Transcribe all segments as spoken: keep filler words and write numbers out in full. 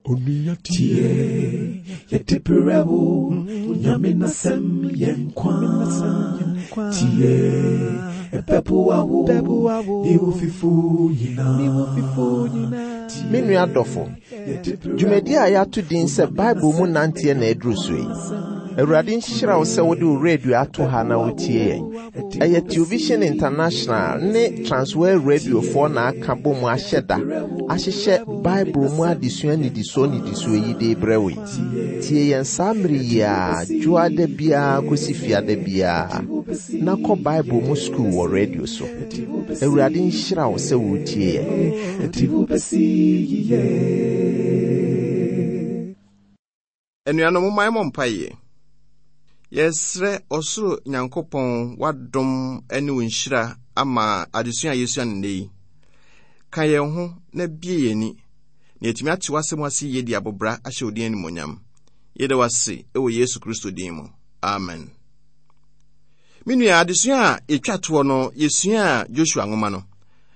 Tie, yɛde brɛ wo, Nyame n'asɛm yɛ nkwa. Tie, ɛbɛboa wo, ne wo fifo nyinaa. Me nua dɔfo, dwumadi a yɛato din sɛ Bible mu nanteɛ na aduru so yi. Awurade nhyira wo sɛ wode wo radio ato ha na wotie yɛn. Ɛyɛ Television International ne Transworld Radiofoɔ na aka bɔ mu ahyɛ da ahyehyɛ Bible mu adesua nnidisoɔ nnidisoɔ yi de brɛ wo yi. Tie yɛn saa mmere yi a dwoada biara kɔsi fiada biara na kɔ Bible mu sukuu wɔ radio so. Awurade nhyira wo sɛ woretie yɛn. Ɛde wo bɛsi yiye. Anuanom, momma yɛmmɔ mpaeɛ. Yɛsrɛ ɔsoro Nyankopɔn w'adom ne wo nhyira ama adesua a yɛsua no nnɛ yi. Ka yɛn ho na bie yɛn ani na yɛatumi ate w'asɛm ase yie de abobra ahyɛ wo din animuonyam. Yɛda wo ase wɔ Yesu Kristo din mu. Amen. Me nua, adesua a yɛtwa toɔ no, yɛsuaa Joshua nwoma no.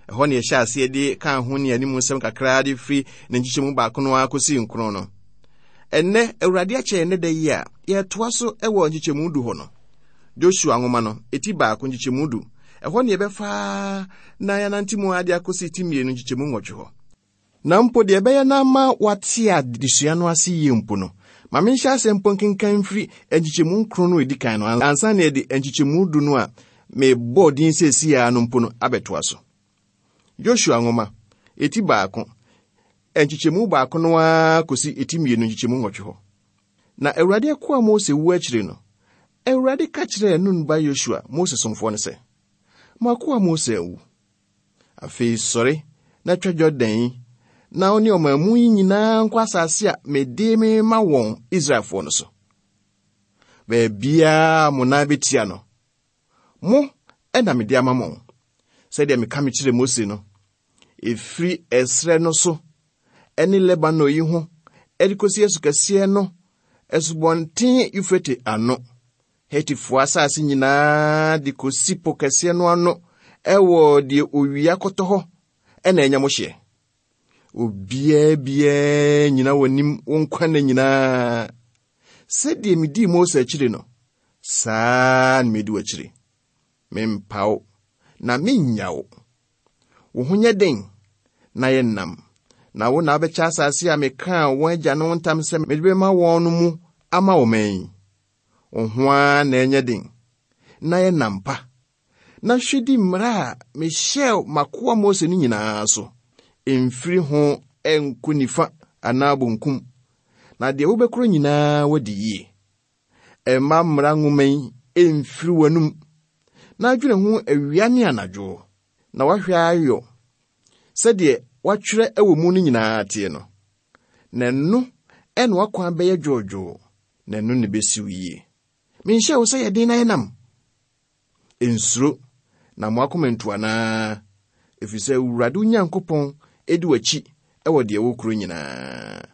Ɛhɔ ne yɛhyɛ aseɛ de kaa ho ne anim nsɛm kakraa de firi ne nkyekyɛmu baako no ara kɔsi nkron no. Ɛnnɛ, Awurade akyɛ yɛn da yi a yɛtoa so wɔ nkyekyɛmu du hɔ no. Joshua nwoma no, eti baako nkyekyɛmu du. Ɛhɔ ne yɛbɛfa na yɛanante mu ade akɔsi ti mmienu nkyekyɛmu nwɔtwe hɔ. Na mpo deɛ ɛbɛyɛ na ama wate adesua no ase yie mpo no, ma menhyɛ asɛm mpo nkenkan mfiri nkyekyɛmu nkron no a ɛdi kan no ansa na yɛde nkyekyɛmu du no a mebɔɔ din seesei ara no mpo no abɛtoa so. Joshua nwoma, eti baako, nkyekyɛmu baako no ara kɔsi eti mmienu nkyekyɛmu nwɔtwe hɔ. Na Awurade akoa Mose wu akyiri no, Awurade ka kyerɛɛ Nun ba Yosua, Mose somfoɔ no sɛ, M'akoa Mose awu. Afei sɔre na twa Jordan yi, na wo ne ɔman mu yi nyinaa nkɔ asase a mede mema wɔn Israelfoɔ no so. Baabiara mo nan bɛtia no, mo ɛna mede ama mo, sɛdeɛ meka me kyerɛ Mose no, ɛfiri ɛserɛ no so ɛne Lebanon yi ho ɛde kɔsi asukɛseɛ no, asubɔnten Eufrate ano, Hetifoɔ asase nyinaa de kɔsi po kɛseɛ no ano ɛwɔ deɛ owia kɔtɔ hɔ ɛna ɛnyɛ mo hyeɛ. Obiara biara nyina w'anim wo nkwa nna nyinaa. Sɛdeɛ medii Mose akyiri no, saa na medi w'akyiri. Mempa wo na mennya wo. Wo ho nyɛ den na yɛ nnam, na wo na wobɛkyɛ asase a mekaa wɔn agyanom ntam sɛ mede bɛma wɔn no mu ama wo man yi. Wo ho ara na ɛnyɛ den na yɛ nnam pa, na hwɛ di mmara a mehyɛɛ m'akoa Mose no nyinaa so. Mfiri ho ɛnkɔ nifa anaa bonkum, na deɛ wobɛkorɔ nyinaa wadi yie. Ɛmma mmara nwoma yi ɛmfiri w'anom, na adwene ho awia ne anadwo, na woahwɛ ayɔ sɛdeɛ woatwerɛ ɛwɔ mu no nyinaa teɛ no. Na ɛno ɛna w'akwan bɛyɛ dwoodwoo, na ɛno ne bɛsi wo yie. Menhyɛ wo sɛ yɛ den na yɛ nam. Nsuro na mo akoma ntu anaa, ɛfiri sɛ Awurade wo Nyankopɔn edi w'akyi ɛwɔ deɛ wokuro nyinaa.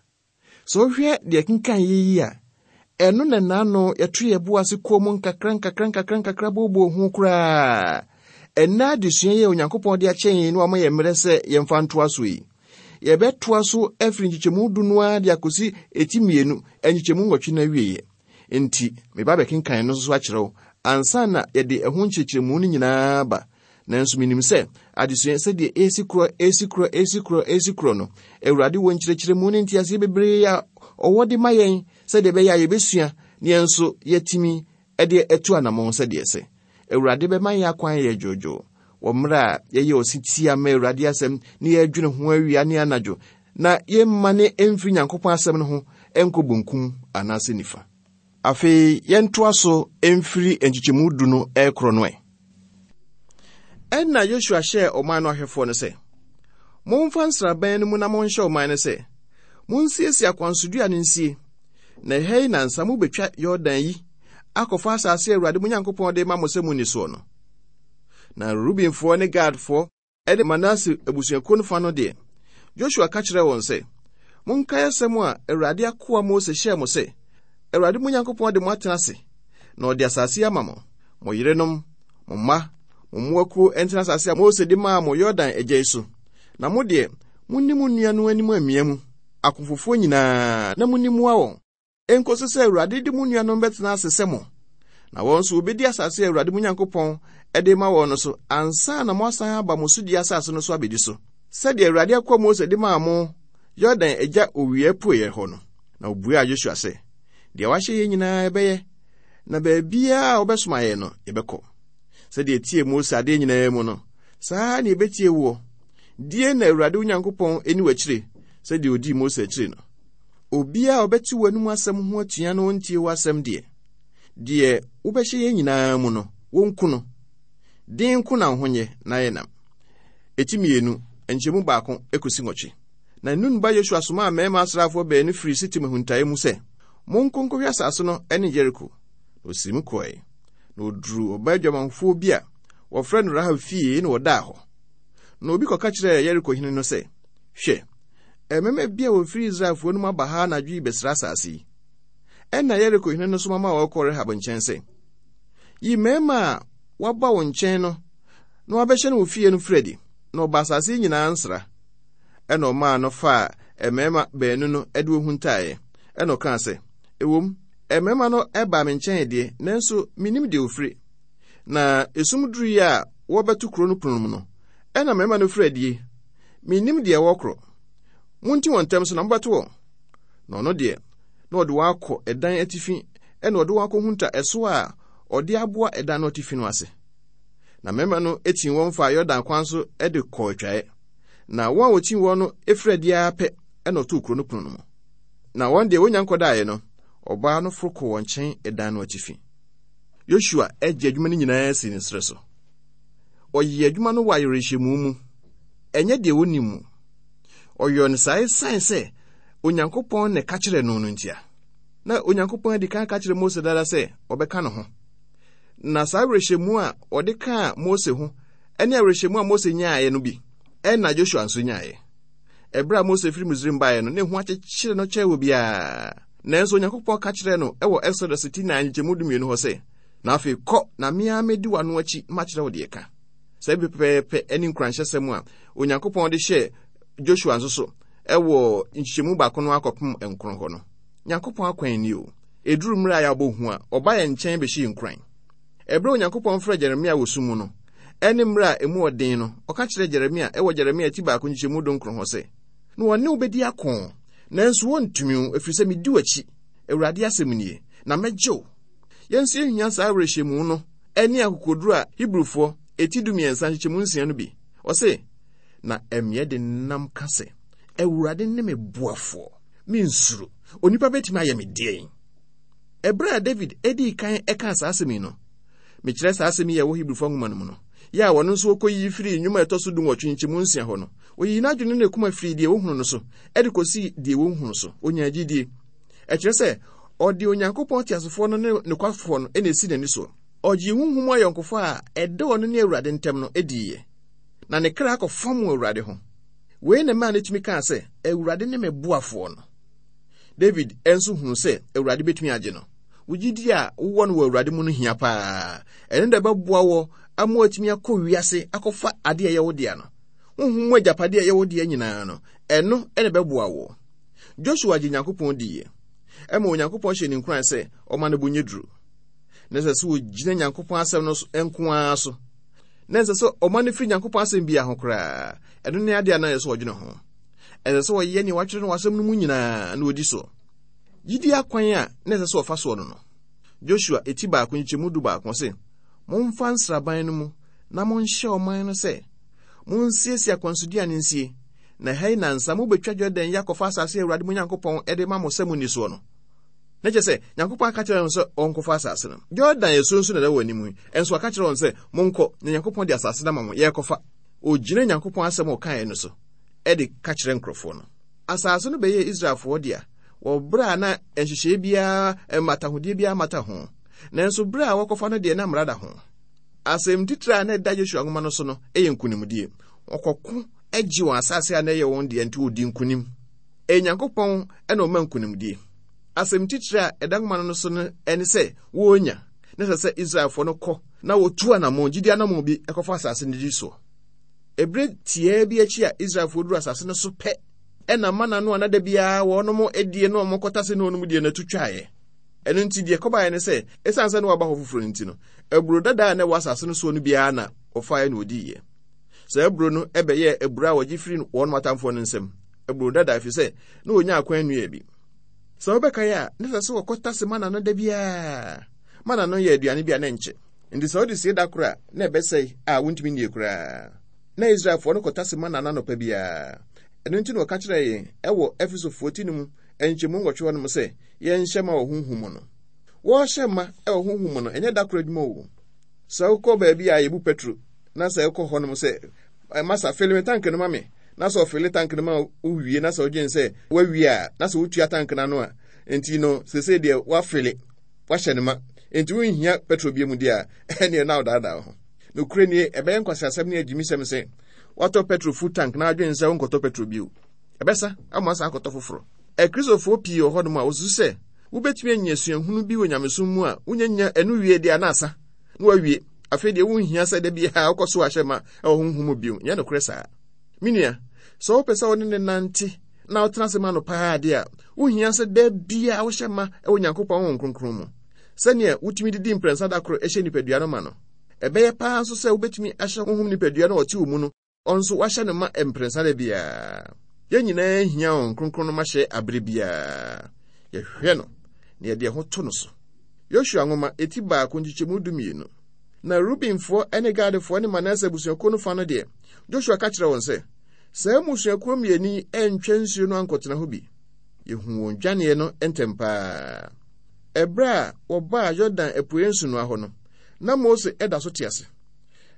Sɛ wohwɛ deɛ kenkan yɛ yi a, ɛno na n'ano yɛto yɛ bo ase kɔɔ mu nkakra nkakra nkakra nkakra booboo ho koraa. Ɛnnɛ adesua yi a Onyankopɔn de akyɛ yɛn no ama yɛ mmerɛ sɛ yɛmfa ntoa so yi. Yɛbɛtoa so afiri nkyekyɛmu du no ara de akɔsi eti mmienu nkyekyɛmu nwɔtwe no awieeɛ. Nti, meba bɛkenkan no nso akyerɛ wo ansa na yɛde ɛho nkyerɛkyerɛmu no nyinaa ba. Nanso menim sɛ adesua sɛdeɛ esi korɔ, esi korɔ, esi korɔ, esi korɔ no, Awurade wɔ nkyerɛkyerɛmu ne nteaseɛ bebree a ɔwɔ de ma yɛn sɛdeɛ ɛbɛyɛ a yɛbɛsua ne yɛn nso yɛatumi de atu anammɔn sɛdeɛ ɛsɛ. Awurade bɛma yɛn akwan yɛ dwoodwoo wɔ mmerɛ a yɛyɛ ɔsetie ama Awurade asɛm ne yɛadwene ho awia ne anadwo, na yɛmma ne ɛmfiri Nyankopɔn asɛm no ho ɛnkɔ bonkum anaasɛ nifa. Afei yɛntoa so ɛmfiri nkyekyɛmu du no ɛrekorɔ no ɛ. Ɛnna Yosua hyɛɛ ɔman no ahwɛfoɔ no sɛ, momfa nsraban no mu na monhyɛ ɔman no sɛ, monsiesie akwansodua no nsie, na ɛha yi nansa mobɛtwa Yordan yi akɔfa asase a Awurade mo Nyankopɔn de ma mo sɛ munni soɔ no. Na Rubenfoɔ ne Gadfoɔ ne Manase abusuakuo no fa no deɛ, Joshua ka kyerɛɛ wɔn sɛ, monkae asɛm a Awurade akoa Mose hyɛɛ mo sɛ, Awurade mo Nyankopɔn de mo atena ase, na ɔde asase ama mo, mo yerenom, mo mma, mo mmoakuo ntena asase a Mose de maa mo Yordan agya yi so. Na mo deɛ, monni mo nua no anim amia mu. Akofofoɔ nyinaa na munni mmoa wɔn. Enkosi sɛ Awurade de mo nuanom bɛtena ase sɛ mo. Na wɔn nso wobedi asase a Awurade mo Nyankopɔn de ma wɔn no so ansa na moasan aba mo sodi asase no so abedi so. Sɛdeɛ Awurade akoa Mose de maa mo Yordan agya owia apueeɛ hɔ no. Na obuaa Yosua sɛ, Deɛ wahyɛ yɛn nyinaa yɛbɛyɛ, na baabiara a wobɛsoma yɛn no, yɛbɛkɔ. Sɛdeɛ yɛtiee Mose adeɛ nyinaa mu no, saa ara na yɛbɛtie woɔ. Die na Awurade wo Nyankopɔn nni w'akyire sɛdeɛ ɔdii Mose akyire no. Obiara a ɔbɛte w'anom asɛm ho atua na ɔntie w'asɛm deɛ, deɛ wobɛhyɛ yɛn nyinaa mu no, wɔnku no. Den nko na wo ho nyɛ na yɛ nam. Eti mmienu, nkyɛmu baako kɔsi nwɔtwe. Na Nun ba Yosua somaa mmarima asraafoɔ baanu firii Sitim ahuntaeɛ mu sɛ, Monkɔ nkɔhwɛ asase no ne Yeriko. Na ɔsii mu kɔe. Na ɔduruu ɔbaa adwamanfoɔ bi a wɔfrɛ no Rahab fie na ɔdaa hɔ. Na obi kɔka kyerɛɛ Yeriko hene no sɛ, Hwɛ, mmarima bi a wɔfiri Israelfoɔ no mu aba ha anadwo yi bɛsra asase yi. Ɛnna Yeriko hene no soma maa wɔkɔɔ Rahab nkyɛn sɛ, Yi mmarima a wɔaba wo nkyɛn no na wɔabɛhyɛne wo fie no firi adi, na wɔba asase yi nyinaa nsra. Ɛnna ɔmaa no faa mmarima baanu no de wɔn huntaeɛ. Ɛnna ɔkaa sɛ, Ɛwom, mmarima no baa me nkyɛn deɛ, nanso mennim deɛ wɔfiri. Na esum duruiɛ a wɔrebɛto kuro no pono mu no, ɛnna mmarima no firi adie. Mennim deɛ wɔrekorɔ. Monti wɔn ntɛm so na mobɛto wɔn. Na ɔno deɛ, na ɔde wɔn akɔ ɛdan atifi, ɛnna ɔde wɔn akɔhunta ɛso a ɔde aboa ɛdan no atifi no ase. Na mmarima no tii wɔn faa Yordan kwan so de kɔɔ atwaeɛ. Na wɔn a wɔtii wɔn no firi adi ara pɛ na ɔtoo kuro no pono no mu. Na wɔn deɛ wɔnya nkɔdaeɛ no, ɔbaa no foro kɔɔ wɔn nkyɛn ɛdan no atifi. Yosua gye adwuma no nyinaa sii ne serɛ so. Ɔyɛɛ adwuma no wɔ awerɛhyɛmu mu, ɛnyɛ deɛ wɔnim mu. Ɔyɔɔ no saa esiane sɛ Onyankopɔn na ɛka kyerɛɛ no no ntia. Na Onyankopɔn adi kan aka kyerɛ Mose dada sɛ ɔbɛka ne ho. Na saa awerɛhyɛmu a ɔde kaa Mose ho ne awerɛhyɛmu a Mose nyaeɛ no bi ɛna Joshua nso nyaeɛ. Ɛberɛ a Mose firi Misraim baeɛ no, na ehu akyekyere no kyɛɛ obiara. Nanso Onyankopɔn ka kyerɛɛ no wɔ Exodus ti nan nkyɛmu dumienu hɔ sɛ, Na afei kɔ, na me ara mɛdi w'ano akyi na makyerɛ wo deɛ ka. Saa bi pɛpɛɛpɛ ne nkuranhyɛsɛm a Onyankopɔn de hyɛɛ Joshua nso so wɔ nkyekyɛmu baako no akɔpem nkron hɔ no. Nyankopɔn akwan ni o. Ɛduru mmerɛ a yɛabɔ hu a, ɔba yɛn nkyɛn bɛhyɛ yɛn nkuran. Ɛberɛ a Onyankopɔn frɛɛ Jeremia wɔ sum mu no, ɛne mmerɛ a emu ɔden no, ɔka kyerɛɛ Jeremia wɔ Jeremia ti baako nkyekyɛmu dunkron hɔ sɛ, Na wɔne wo bɛdi ako, nanso wɔntumi wo, ɛfiri sɛ medi w'akyi, Awurade asɛm nie, na mɛgye wo. Yɛn nso yɛhia saa awerɛhyɛmu no ne akokoduru a Hebrifoɔ eti dumiɛnsa nkyekyɛmu nsia no bi. Ɔse, Na ɛmeɛ de nam ka sɛ, Awurade ne me boafoɔ, mensuro. Onipa bɛtumi ayɛ me deɛn? Ɛberɛ a David dii kan kaa saa asɛm yi no, mekyerɛ saa asɛm yi a ɛwɔ Hebrifoɔ nwoma no mu no, yɛ a ɔno nso ɔkɔyiyi firii nnwom a ɛtɔ so dunwɔtwe nkyɛmu nsia hɔ no, ɔyii n'adwene ne ne koma firii deɛ wɔhunu no so de kɔsii deɛ wɔnhunu so. Ɔnyaa gyidie. Ɛkyerɛ sɛ, ɔde Onyankopɔn teasefoɔ no ne nokwafoɔ no na ɛsi n'ani soɔ. Ɔgyee honhom mu ayɔnkofa a ɛda ɔno ne Awurade ntam no diiɛ, na ne kra kɔfam wɔ Awurade ho. Wei na ɛmaa no tumi kaa sɛ, Awurade ne me boafoɔ no. David nso hunuu sɛ Awurade bɛtumi agye no. Wo gyidie a wowɔ no wɔ Awurade mu no hia paa. Ɛno na ɛbɛboa wɔ ama woatumi akɔ wiase akɔfa adeɛ a ɛyɛ wo dea no. Honhom mu agyapadeɛ a ɛyɛ wo dea nyinaa no, ɛno na ɛbɛboa woɔ. Joshua gye Nyankopɔn diiɛ. Ɛma Onyankopɔn hyɛ ne nkuran sɛ ɔma no bo nyɛ duru. Na ɛsɛ sɛ ɔgyina Nyankopɔn asɛm no nko ara so. Na ɛsɛ sɛ ɔma no firi Nyankopɔn asɛm biara ho koraa. Ɛno ne adeɛ a na ɛsɛ sɛ ɔdwene ho. Ɛsɛ sɛ ɔyɛ nea wɔatwerɛ no wɔ asɛm no mu nyinaa na ɔdi so. Gyidie akwan a na ɛsɛ sɛ ɔfa soɔ no no. Joshua eti baako nkyekyɛmu du baako se, Momfa nsraban no mu na monhyɛ ɔman no sɛ, Monsiesie akwansoduane nsie, na ɛha yi nnansa mobɛtwa Yordan yi akɔfa asase a Awurade mo Nyankopɔn de ma mo sɛ monni soɔ no. Na kyerɛ sɛ, Nyankopɔn aka kyerɛ wɔn sɛ wɔnkɔfa asase no. Yordan asuo nso na ɛda wɔn anim yi, nso aka kyerɛ wɔn sɛ, Monkɔ, na Nyankopɔn de asase no ama mo, yɛrekɔfa. Ɔgyina Nyankopɔn asɛm a ɔkaeɛ no so de ka kyerɛ nkurɔfoɔ no. Asase no bɛyɛɛ Israelfoɔ dea wɔ berɛ a na nhyehyɛeɛ biara, mmatahodeɛ biara mmata ho. Nanso berɛ a wɔkɔfa no deɛ na mmara da ho. Asɛm titire a na ɛda Yosua nwoma no so no yɛ nkonimdie. Wɔkɔko gye wɔn asase a na ɛyɛ wɔn dea nti wɔdi nkonim. Ɛyɛ Nyankopɔn na ɔma nkonimdie. Asɛm titire a ɛda nwoma no so no ne sɛ wɔrenya, na ɛsɛ sɛ Israelfoɔ no kɔ na wɔtu anammɔn, gyidie anammɔn bi kɔfa asase no di soɔ. Ɛberɛ tiaa bi akyi a Israelfoɔ duru asase no so pɛ, Ɛna mana no a na da biara wɔnom adie na wɔn kɔtase na wɔnom die no atu twaeɛ. Ɛno nti deɛ kɔbaeɛ ne sɛ, ɛsiane sɛ na waba hɔ foforɔ no nti no, aburo dada a na ɛwɔ asase no soɔ no biara na wɔfaeɛ na wɔdiiɛ. Saa aburo no ɛbɛyɛɛ aburo a wɔgye firi wɔn atamfoɔ no nsam. Aburo dada ɛfiri sɛ na wɔnya akwan nnua bi. Sɛ wobɛkae a, na ɛsɛ sɛ wɔkɔtase mana no da biara. Mana no yɛ aduane bi a na ɛnkyɛ. Nti sɛ wode sie da koro a, na ɛbɛsɛe a wontumi nnie koraa. Na Israelfoɔ no kɔtase mana no anɔpa biara. Ɛno nti na wɔka kyerɛɛ yɛn ɛwɔ Efesofoɔ ti no mu nkyɛmu nwɔtwe hɔ nom sɛ yɛnhyɛ ma wɔ honhom mu no. Wɔrehyɛ ma ɛwɔ honhom mu no, ɛnyɛ da koro adwuma o. Sɛ wokɔ baabi a yɛbu petro na sɛ wokɔ hɔ nom sɛ, masa fili me tank no ma me, na sɛ ɔfili tank no ma wowie na sɛ wodwen sɛ woawie a, na sɛ wotua tank no ano a, nti no seesei deɛ woafili, woahyɛ no ma, nti wonhia petro bie mu deɛ a, ɛneɛ na wodaadaa wo ho. Nokorɛ nie, ɛbɛyɛ nkwaseasɛm ne agyimisɛm sɛ woatɔ petro full tank na adwen sɛ wonkɔtɔ petro bio. Ɛbɛsa ama asa akɔtɔ foforɔ. Akristofoɔ pii wɔ hɔnom a wɔsusu sɛ wobɛtumi anya suahunu bi wɔ nyamesom mu a wonyanya ɛno wie deɛ na asa na wawie. Afei deɛ wonhia sɛ da biara wokɔ so ahyɛ ma ɛwɔ honhom mu bio. Nyɛ nokorɛ saa. Me nua, sɛ wopɛ sɛ wo ne ne nante na wotena ase ma no paa deɛ a, wohia sɛ da biara wohyɛ ma ɛwɔ Nyankopɔn Honhom Kronkron mu. Sɛnea wotumi didi mprɛnsa da koro hyɛ nipadua no ma no, ɛbɛyɛ paa nso sɛ wobɛtumi ahyɛ honhom nipadua no a ɔte wo mu no, ɔnso wahyɛ no ma mprɛnsa da biara. Yɛn nyinaa hia Honhom Kronkron no mahyɛ abere biara. Yɛhwɛ no na yɛde ɛho to no so. Yosua nwoma eti baako nkyekyɛmu du mmienu. Na Rubenfoɔ ne Gadfoɔ ne Manase abusuakuo no fa no deɛ, Joshua ka kyerɛɛ wɔn sɛ, saa mmusuakuo mmienu yi antwa nsuo no ankɔtena hɔ bi. Yɛhu wɔn dwaneɛ no ntɛm paa. Ɛberɛ a wɔbaa Yordan apueeɛ nsunoa hɔ no, na Mose ɛda so te ase.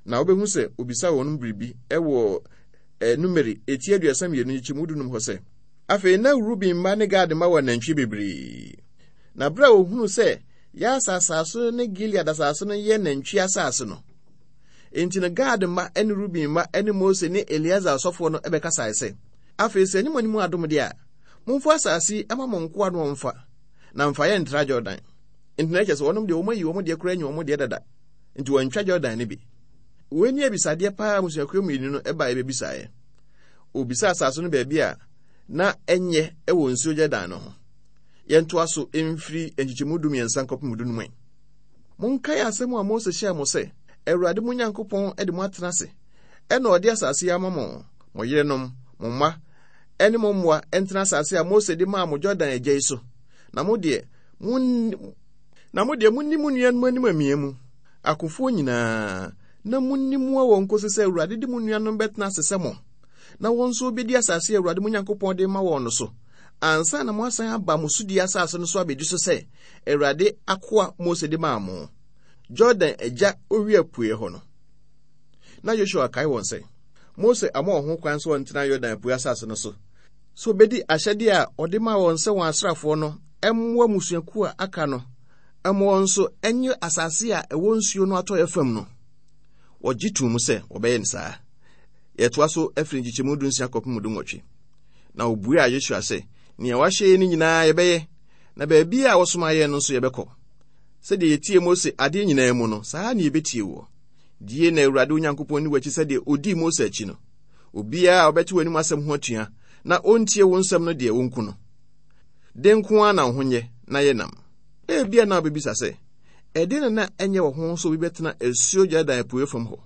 Na wobɛhu sɛ obisa wɔn biribi ɛwɔ Numeri eti aduasa mmienu nkyekyɛmu dunum hɔ sɛ, afei na Ruben mma ne Gad mma wɔ anantwie bebree. Na berɛ a wɔhunuu sɛ Yaser asase ne Gilead asase no yɛ nantwie asase no, enti no Gad mma ne Ruben mma ne Mose ne Eleasar ɔsɔfoɔ no bɛkasae sɛ, afei sɛ ɛnyɛ mo anim adom deɛ a, momfa asase yi ma mo nkoa no wɔmfa, na mfa yɛn ntra Jordan. Enti na ɛkyerɛ sɛ wɔnom deɛ wɔn ayi wɔn deɛ koraa anyi wɔn deɛ dada, nti wɔntwa Jordan no bi. Wei ne abisadeɛ paa mmusuakuo mmienu no baeɛ bɛbisaeɛ. Wɔbisaa asase no baabi a na ɛnyɛ wɔ nsuo Jordan no ho. Yɛntoa so mfiri nkyekyɛmu du mmiɛnsa nkɔpem du num. Monkae asɛm a Mose hyɛɛ mo sɛ, Awurade mo Nyankopɔn de mo atena ase, ɛna ɔde asase yi ama mo, mo yerenom, mo mma, ɛne mo mmoa ntena asase a Mose de maa mo Jordan agya yi so. Na mo deɛ, mo na mo deɛ monni mo nuanom anim amia mu, akofoɔ nyinaa, na monni mmoa wɔn kɔsi sɛ Awurade de mo nuanom bɛtena ase sɛ mo, na wɔn nso wɔbɛdi asase a Awurade mo Nyankopɔn de ma wɔn no so, ansa na moasan aba mo sodie asase no so abɛdi so sɛ Awurade akoa Mose de maa mo, Jordan agya owia apueɛ hɔ no. Na Joshua kae wɔn sɛ, Mose ama wɔn ho kwan sɛ wɔntena Yordan apueɛ asase no so, sɛ wɔbɛdi ahyɛdeɛ a ɔde maa wɔn sɛ wɔn asraafoɔ no mmoa mmusuakuo a aka no ma wɔn nso nye asase a ɛwɔ nsuo no atɔeɛ fam no. Wɔgye too mu sɛ wɔbɛyɛ no saa. Yɛtoa so afiri nkyekyɛmu du nsia kɔpem du nwɔtwe. Na wɔbuaa Yosua sɛ, nea wahyɛ yɛn no nyinaa yɛbɛyɛ, na baabi a wɔsoma yɛn no nso yɛbɛkɔ. Sɛdeɛ yɛtie Mose adeɛ nyinaa mu no, saa na yɛbɛtie woɔ. Die na Awurade Onyankopɔn ni w'akyi sɛdeɛ ɔdii Mose akyi no. Obiara a ɔbɛte w'anim asɛm ho atua na ɔntie wo nsɛm no deɛ wɔnku no. De nko ara na wo ho nyɛ na yɛ nam. Ebia na wobɛbisa sɛ, ɛdeɛn na na ɛnyɛ wɔ ho sɛ obi bɛtena asuo Jordan apueɛ fam hɔ?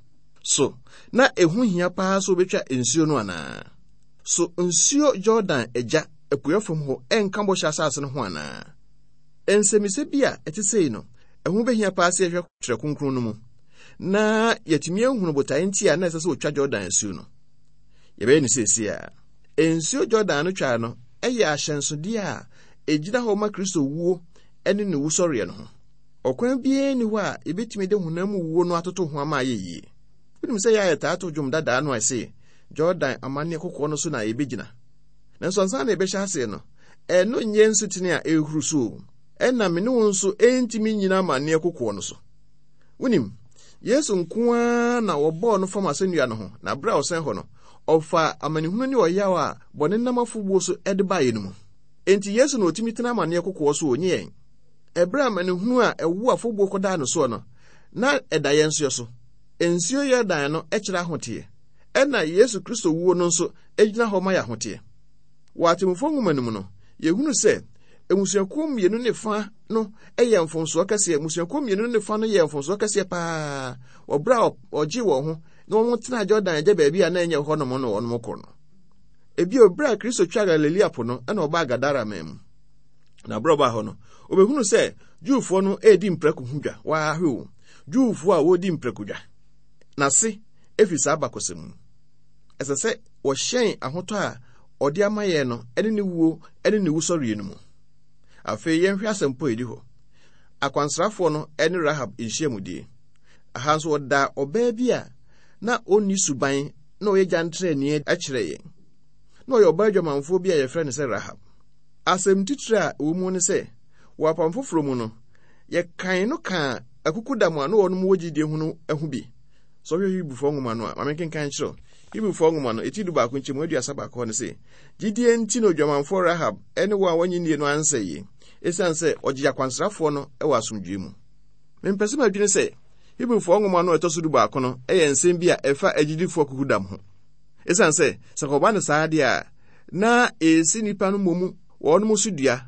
So na ɛho hia paa sɛ wobɛtwa nsuo no anaa? So nsuo Jordan agya apueɛ fam hɔ ɛnka bɔhyɛ asase no ho anaa? Nsɛmmisa bi a ɛte sei no, ɛho bɛhia paa sɛ yɛhwɛ Twerɛ Kronkron no mu na yɛatumi ahunu botaeɛ nti a na ɛsɛ sɛ wɔtwa Jordan asuo no. Yɛbɛyɛ no seesei a. Nsuo Jordan no twaa no yɛ ahyɛnsodeɛ a ɛgyina hɔ ma Kristo wuo ne ne wusɔreɛ no ho. Ɔkwan biara nni hɔ a yɛbɛtumi de honam mu wuo no atoto ho ama ayɛ yie. Wonim sɛ yɛ a yɛtaa to dwom dadaa no a ɛse Jordan amanneɛ kokoɔ no so na yɛbɛgyina. Nanso ansa na yɛbɛhyɛ aseɛ no, ɛno nyɛ nsutene a ɛrehuru so o. Ɛna me ne wo nso ɛntumi nnyina amanneɛ kokoɔ no so. Wonim, Yesu nko ara na wɔbɔɔ no fam asɛnnua no ho, na berɛ a ɔsɛn hɔ no, ɔfaa amanehunu ne ɔyaw a bɔne nam afobuo so de baeɛ no mu. Enti Yesu na ɔtumi tena amanneɛ kokoɔ so, ɔnyɛ yɛn. Ɛberɛ a amanehunu a ɛwo afobuo kɔdaa no soɔ no, na ɛda yɛn nso so. Nsuo Yordan no kyerɛ ahoteɛ, ɛna Yesu Kristo wuo no nso gyina hɔ ma yɛ ahoteɛ. Wɔ Atemmufoɔ nwoma no mu no, yɛhunu sɛ mmusuakuo mmienu ne fa no yɛ mfomsoɔ kɛseɛ. Mmusuakuo mmienu ne fa no yɛ mfomsoɔ kɛseɛ paa wɔ berɛ a ɔgye wɔn ho na wɔn tena Jordan agya baabi a na ɛnyɛ hɔnom no wɔn kɔ no. Ebio, berɛ a Kristo twa Galilea po no, ɛna ɔbaa Gadara man mu. Na berɛ ɔbaa hɔ no, obɛhunu sɛ Jewfoɔ no redi mprako ho dwa. Waahwe o, Jewfoɔ a wɔredi mprako dwa. N'ase efi saa abakɔsɛm mu. Ɛsɛ sɛ wɔhyɛn ahotɔ a ɔde ama yɛn no ne ne wuo ne ne wusɔreɛ no mu. Afei yɛnhwɛ asɛmpo a ɛdi hɔ. Akwansrafoɔ no ne Rahab nhyiamudie. Aha nso wɔda ɔbaa bi a na ɔnni suban na ɔyɛ gyantrani kyerɛ yɛn. Na ɔyɛ ɔbaa adwamanfoɔ bi a yɛfrɛ no sɛ Rahab. Asɛm titire a ɛwɔ mu ne sɛ, wɔ apam foforɔ mu no, yɛkan no kaa akukudam a na wɔnom wɔ gyidie ho no ho bi. Sɛ ɔhwɛ Hebrifoɔ nwoma no a, ma menkenkan kyerɛ wo. Hebrifoɔ nwoma no, eti du baako nkyɛmu aduasa baako hɔ no sɛ, gyidie nti na odwamanfoɔ Rahab ne wɔn a wɔnnye nnie no ansɛe, ɛsiane sɛ ɔgye akwansrafoɔ no wɔ asomdwoe mu. Mempɛ sɛ madwene sɛ Hebrifoɔ nwoma no a ɛtɔ so du baako no yɛ nsɛm bi a ɛfa agyidifoɔ akukudam ho. Ɛsiane sɛ, sɛ kɔba no saa deɛ a, na ɛsi nnipa no mmom wɔnom so dua.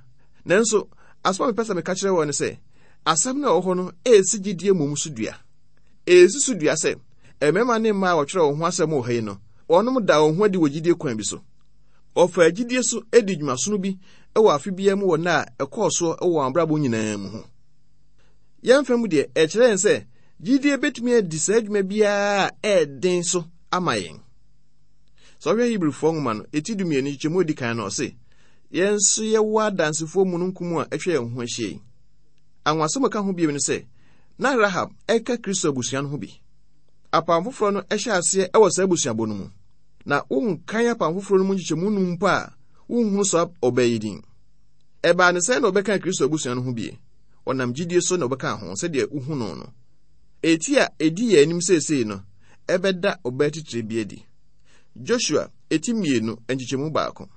Nanso, asɛm a mepɛ sɛ meka kyerɛ wɔn ne sɛ, asɛm no a ɛwɔ hɔ no ɛsi gyidie mmom so dua. Ɛsi so dua sɛ, mmarima ne mmaa a wɔtwerɛ wɔn ho asɛm wɔ ha yi no, wɔnom da wɔn ho adi wɔ gyidie kwan bi so. Wɔfaa gyidie so di dwumasono bi wɔ afe biara mu wɔ nna a ɛkɔɔ soɔ wɔ wɔn abrabɔ nyinaa mu ho. Yɛn fam deɛ, ɛkyerɛ yɛn sɛ gyidie bɛtumi adi saa adwuma biara a ɛyɛ so ama yɛn. Sɛ ɔhwɛ Hebrifoɔ nwoma no, eti dumienu nkyekyɛmu edi kan no, ɔse, yɛn nso yɛwɔ adansefoɔ mununkum a atwa yɛn ho ahyia yi. Anwasɛm a ɛka ho bio ne sɛ, na Rahab ɛka Kristo abusua no ho bi. Apam foforɔ no hyɛ aseɛ wɔ saa abusuabɔ no mu. Na wonkan apam foforɔ no mu nkyekyɛmu num mpo a, wonhunu saa ɔbaa yi din. Ɛbaa ne sɛn na ɔbɛka Kristo abusua no ho bie? Ɔnam gyidie so na ɔbɛka ho sɛdeɛ wohu no no. Eti a edi yɛn anim seesei no, ɛbɛda ɔbaa titire bi adi. Joshua, eti mmienu, nkyekyɛmu baako.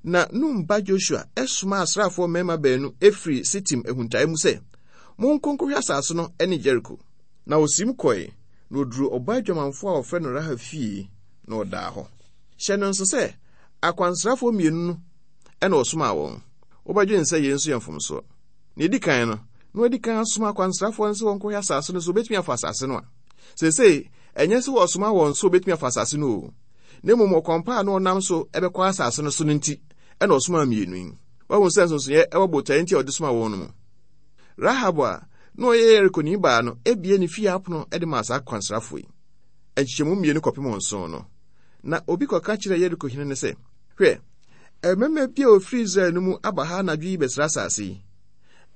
Na Nun ba Joshua ɛsoma asraafoɔ mmarima baanu efiri Sitim ahuntae mu sɛ, monkɔ nkɔhwɛ asase no ne Jericho. Na osim kɔe, na oduru ɔbaa adwamanfoɔ a wɔfrɛ no Rahab fie, na ɔdaa hɔ. Hyɛ no nso sɛ, akwansrafoɔ mmienu no ɛna ɔsomaa wɔn. Wobɛdwene sɛ yei nso yɛ mfomsoɔ. Na edi kan no, na wadi kan asoma akwansrafoɔ no sɛ wɔnkɔhwɛ asase no so wɔbɛtumi afa asase no a. Seesei, ɛnyɛ sɛ wɔsoma wɔn so wɔbɛtumi afa asase no o. Na mmom ɔkwan pa a na ɔnam so ɛbɛkɔ asase no so no nti, ɛna ɔsomaa mmienu yi. Wahu sɛ nsonsonoeɛ ɛwɔ botaeɛ nti a ɔde somaa wɔn no mu. Rahab a na ɔyɛ Yerikoni baa no ebie ne fie apono de maa saa akwansrafoɔ yi. Nkyekyɛmu mmienu kɔpem nson no, na obi kɔka kyerɛ Yeriko hene no sɛ, hwɛ, mmarima bi a wɔfiri Israel no mu aba ha anadwo yi bɛsra asase yi.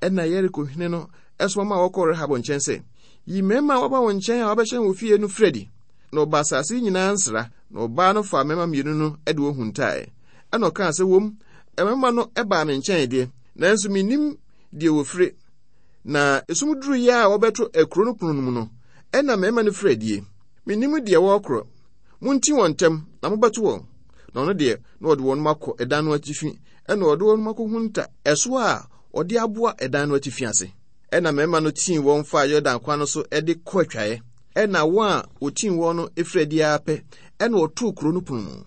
Ɛna Yeriko hene no ɛsoma ma wɔkɔɔ Rahab nkyɛn sɛ, yi mmarima a wɔaba wo nkyɛn a wɔabɛhyɛn wo fie no firi adi. Na ɔba asase yi nyinaa nsra, na ɔbaa no faa mmarima mmienu no de wɔn huntaeɛ. Ɛna ɔkaa sɛ, wom, mmarima no baa me nkyɛn deɛ, nanso mennim deɛ wɔfire. Na esum duruiɛ a wɔbɛto akuro no pono no mu no, ɛna mmarima no firi adie. Mennim deɛ wɔrekorɔ. Monti wɔn ntɛm, na mobɛto wɔn. Na ɔno deɛ, na ɔde wɔn akɔ ɛdan no atifi, ɛna ɔde wɔn akɔhunta ɛso a ɔde aboa ɛdan no atifi ase. Ɛna mmarima no tii wɔn faa Yordan kwan no so de kɔ atwaeɛ. Ɛna wɔn a wɔtii wɔn no firi adi ara pɛ, ɛna wɔtoo kuro no pono mu.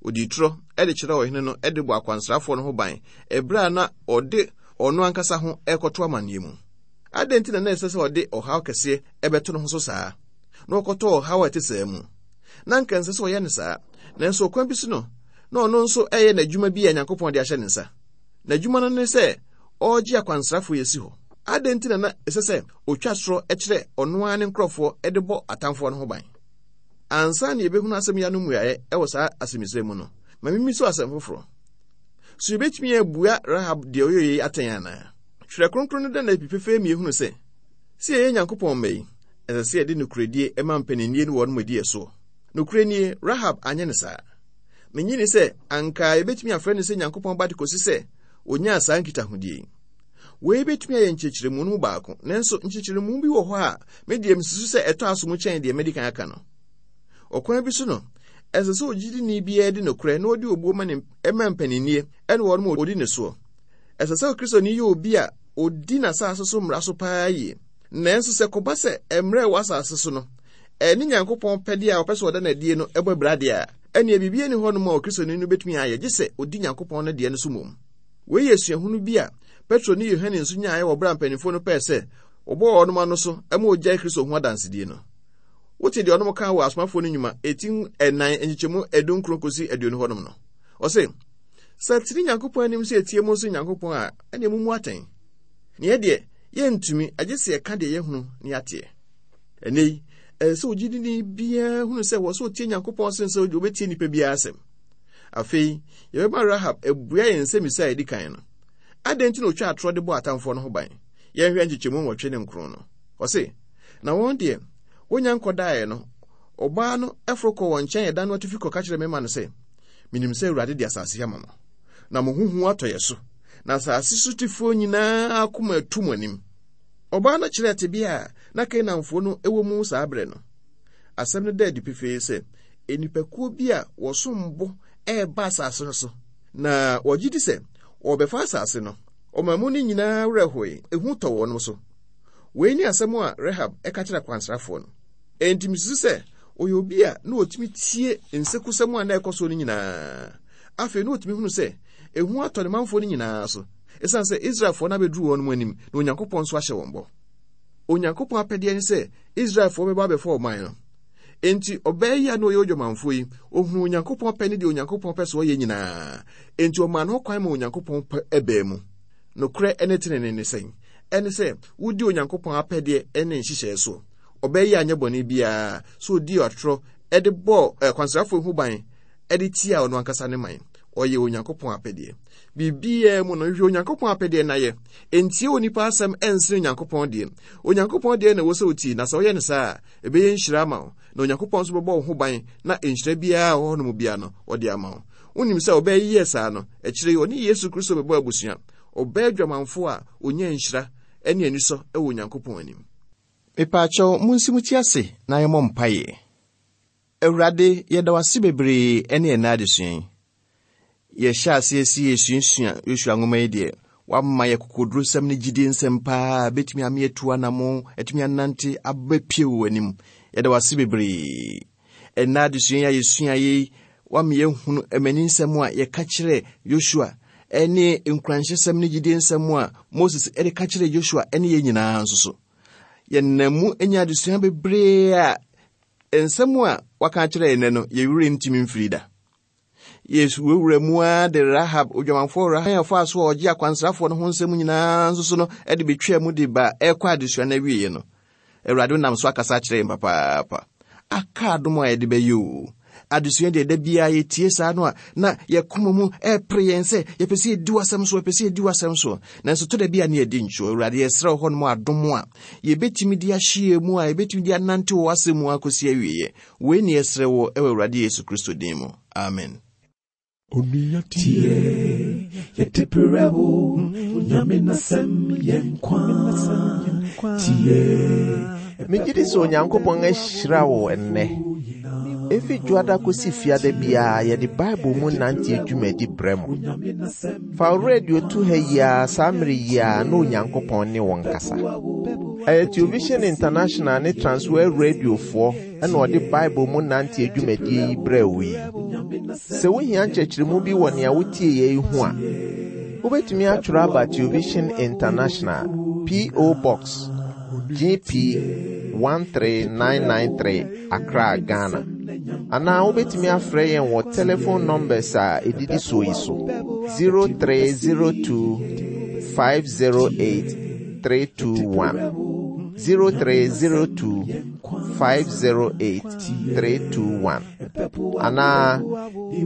Odii torɔ de kyerɛɛ ɔhene no de bɔ akwansrafoɔ no ho ban ɛberɛ a na ɔde ɔno ankasa ho ɛrekɔto amanneɛ mu. Adɛn nti na na ɛsɛ sɛ ɔde ɔhaw kɛseɛ ɛbɛto ne ho so saa, na ɔkɔtɔ ɔhaw a ɛte saa mu? Na anka ɛnsɛ sɛ ɔyɛ no saa, nanso ɔkwan bi so no, na ɔno nso ɛyɛ n'adwuma bi a Nyankopɔn de ahyɛ ne nsa. N'adwuma no ne sɛ ɔregye akwansrafoɔ yi asi hɔ. Adɛn nti na na ɛsɛ sɛ otwa sorɔ kyerɛ ɔno ara ne nkurɔfoɔ de bɔ atamfoɔ no ho ban? Ansa na yɛbɛhunu asɛm yi ano mmuaeɛ wɔ saa asɛmmisa mu no, ma mimmi so asɛm foforɔ. So yɛbɛtumi abua Rahab deɛ ɔyɛ yei atɛn anaa? Twerɛ Kronkron no da no adi pefee ma yɛhunu sɛ, sɛ yɛyɛ Nyankopɔn mma yi, ɛsɛ sɛ yɛde nokorɛdie ma mpaninnie ne wɔn adi ɛsoɔ. Nokorɛ nie, Rahab anyɛ no saa. Mennye nni sɛ anka yɛbɛtumi afrɛ no sɛ Nyankopɔn ba de kɔsi sɛ onyaa saa nkitahodie yi. Wei bɛtumi ayɛ nkyerɛkyerɛmu no mu baako, nanso nkyerɛkyerɛmu bi wɔ hɔ a me deɛ mesusu sɛ ɛtɔ aso mu kyɛn deɛ madi kan aka no. Ɔkwan bi so no, ɛsɛ sɛ ogyidini biara di nokorɛ na ɔde obuo ma ne ma mpaninnie ne wɔn a wɔdi ne soɔ. Ɛsɛ sɛ Okristoni yɛ obi a ɔdi n'asase so mmara so paa yie. Nanso sɛ kɔba sɛ mmerɛ ɛwɔ asase so no, ɛne Nyankopɔn pɛdeɛ a ɔpɛ sɛ ɔda n'adie no ɛbɔ abira deɛ a, Ɛnneɛ biribi nni hɔnom a Okristoni no betumi ayɛ gye sɛ odi Nyankopɔn no deɛ no so mmom. Wei yɛ suahunu bi a Petro ne Yohane nso nyaeɛ wɔ bere a mpanimfoɔ no pɛɛ sɛ wɔbɔ wɔn ano so ma wɔgyae Kristo ho adansedie no. Wote deɛ ɔnom kaa wɔ Asomafoɔ no Nnwuma eti ɛnan nkyekyɛmu adunkron kɔsi aduonu hɔnom no. Ɔse, sɛ tene Nyankopɔn anim sɛ etie mo nso Nyankopɔn a, ɛneɛ mummu atɛn. Neɛ deɛ, yɛntumi, agye sɛ yɛka deɛ yɛhunu ne yɛateɛ. Ɛnnɛ yi, ɛsɛ sɛ ogyidini biara hunu sɛ wɔ sɛ otie Nyankopɔn sen sɛ obetie nnipa biara asɛm. Afei, yɛbɛma Rahab abua yɛn nsɛmmisa a edi kan no. Adɛn nti na otwa atorɔ de bɔ atamfoɔ no ho ban? Yɛnhwɛ nkyekyɛmu nwɔtwe ne nkron no. Ɔse, na wɔn deɛ, wonya nkɔdaeɛ no, ɔbaa no foro kɔɔ wɔn nkyɛn ɛda no atifi kɔka kyerɛɛ mmarima no sɛ, Menim sɛ Awurade de asase yi ama mo, na mo ho hu atɔ yɛ so, na asase sotefoɔ nyinaa akoma atu mo anim. Ɔbaa no kyerɛɛ tebea a na Kanaanfoɔ no wɔ mu saa berɛ no. Asɛm no da adi pefee sɛ nnipakuo bi a wɔsom bo reba asase no so, na wɔgye di sɛ wɔrebɛfa asase no. Ɔman mu no nyinaa werɛ hoe, ehu tɔ wɔn so. Wei ne asɛm a Rahab ka kyerɛɛ akwansrafoɔ no. Enti mesusu sɛ ɔyɛ obi a na ɔtumi tie nsekusɛm a na ɛkɔ so no nyinaa. Afei na ɔtumi hunu sɛ ehu atɔ ne manfoɔ no nyinaa so, ɛsiane sɛ Israelfoɔ no abɛduru wɔn anim na Onyankopɔn nso ahyɛ wɔn bɔ. Onyankopɔn apɛdeɛ ne sɛ Israelfoɔ bɛba abɛfa ɔman no. Enti ɔbaa yi a na ɔyɛ odwamanfoɔ yi, ɔhunuu Onyankopɔn pɛ ne deɛ Onyankopɔn pɛ sɛ ɔyɛ nyinaa. Enti ɔmaa ne ho kwan ma Onyankopɔn pɛ baa mu. Nokorɛ ne tenenee ne sɛn? Ɛne sɛ wodi Onyankopɔn apɛdeɛ ne nhyehyɛeɛ soɔ. Ɔbaa yi anyɛ bɔne biara sɛ ɔdii atorɔ de bɔɔ akwansrafoɔ ho ban de tiaa ɔno ankasa ne man. Ɔyɛ Onyankopɔn apɛdeɛ. Biribiara mu no, hwehwɛ Onyankopɔn apɛdeɛ na yɛ. Ntie onipa asɛm ɛnsene Onyankopɔn deɛ. Onyankopɔn deɛ na ɛwɔ sɛ wotie, na sɛ woyɛ no saa a, ɛbɛyɛ nhyira ama wo, na Onyankopɔn nso bɛbɔ wo ho ban na nhyira biara a ɛwɔ hɔnom biara no, ɔde ama wo. Wonim sɛ ɔbaa yi yɛɛ saa no, akyire yi ɔne Yesu Kristo bɛbɔɔ abusua. Ɔbaa adwamanfoɔ a ɔnyaa nhyira ne anisɔ wɔ Onyankopɔn anim. Mepaakyɛw, munsi mo ti ase na yɛmmɔ mpaeɛ. Awurade, yɛda wo ase bebree ne ɛnnɛ adesua yi. Yɛhyɛ aseɛ si yɛsuasua Yosua nwoma yi deɛ, wama yɛ kokodurosɛm ne gyidie nsɛm paa, bɛtumi ama yɛatu anamo, atumi anante abɛpie wɔ w'anim. Yɛda wo ase bebree. Ɛnnɛ adesua yi a yɛsua yi, wama yɛhunu amani nsɛm a yɛka kyerɛ Yosua ne nkuranhyɛsɛm ne gyidie nsɛm a Moses de ka kyerɛ Yosua ne yɛn nyinaa nso so. Yɛnam mu anya adesua bebree a nsɛm a waka akyerɛ yɛn nnɛ no, yɛn werɛ ntumi mfiri da. Yesu wurawura mu ara de Rahab, odwamanfoɔ Rahab a ɔfaa so a ɔgye akwansrafoɔ no ho nsɛm nyinaa nso so no de betwaa mu de ba ɛrekɔ adesua no awieeɛ no. Awurade nam so akasa akyerɛ yɛn papaapa. Aka adom a yɛde bɛyɛ o. Adesua deɛ da biara yɛtie saa no a, na yɛkoma mu ɛrepere yɛn sɛ yɛpɛ sɛ yɛdi w'asɛm so, yɛpɛ sɛ yɛdi w'asɛm so. Nanso to da bi a ne yɛdi nkyerɛ. Awurade, yɛsrɛ wo hɔnom adom a yɛbɛtumi de ahyɛ mu a yɛbɛtumi de anante wɔ w'asɛm mu akɔsi awieeɛ. Wei ne yɛsrɛ wɔ ɛwɔ Awurade Yesu Kristo din mu. Amen. Onua tie, yɛde brɛ wo, Onyame n'asɛm yɛ nkwa. Tie. Megye di sɛ Onyankopɔn ahyira wo ɛnnɛ. Efi Dwoada kosi Fiada biara yɛde Bible mu nante dwumadi brɛ mo. Fa wo radio to ha yi ara saa mmere yi ara na Onyankopɔn ne wo nkasa. Ɛyɛ Television International ne Transworld Radiofoɔ ɛna ɔde Bible mu nante dwumadie yi brɛ wo yi. Sɛ wohia nkyerɛkyerɛmu bi wɔ nea wotie yɛ yi ho a, wobɛtumi atwerɛ aba Television International, P O. Box G P one three nine nine three, Accra, Ghana. Anaa wobɛtumi afrɛ yɛn wɔ telephone numbers a ɛdidi soɔ yi so: zero three zero two five zero eight three two one, zero three zero two five zero eight three two one, anaa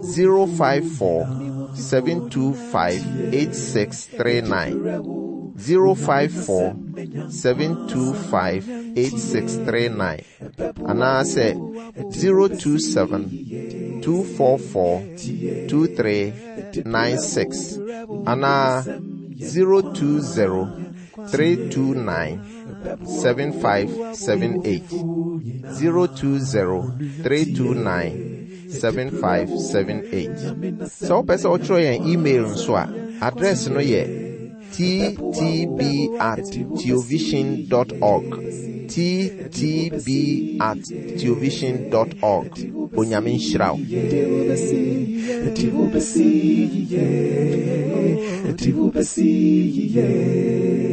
zero five four seven two five eight six three nine, zero five four seven two five eight six three nine, anaasɛ zero two seven two four four two three nine six, anaa zero two zero three two nine seven five seven eight, zero two zero three two nine seven five seven eight. Sɛ wopɛ sɛ wotwerɛ yɛn email nso a, address no yɛ T T B at theovision dot org. T T B at theovision dot org. Onyame nhyira wo. Ɛde wo bɛsi yie, ɛde wo bɛsi yie.